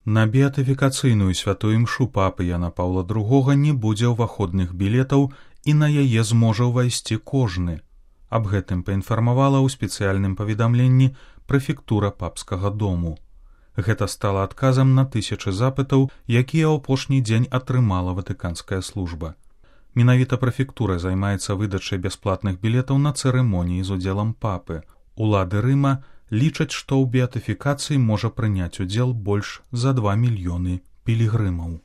На беатыфікацыйную святую імшу папы Яна Паўла II не будзе ўваходных білетаў і на яе зможа ўвайсці кожны. Аб гэтым паінфармавала ў спецыяльным паведамленні прэфектура папскага дому. Гэта стала адказам на тысячы запытаў, якія ў апошні дзень атрымала ватыканская служба. Менавіта прэфектура займаецца выдачай бясплатных білетаў на цырымоніі з удзелам папы. Улады Рыма лічаць, што ў беатыфікацыі можа прыняць удзел больш за 2 мільёны пілігрымаў.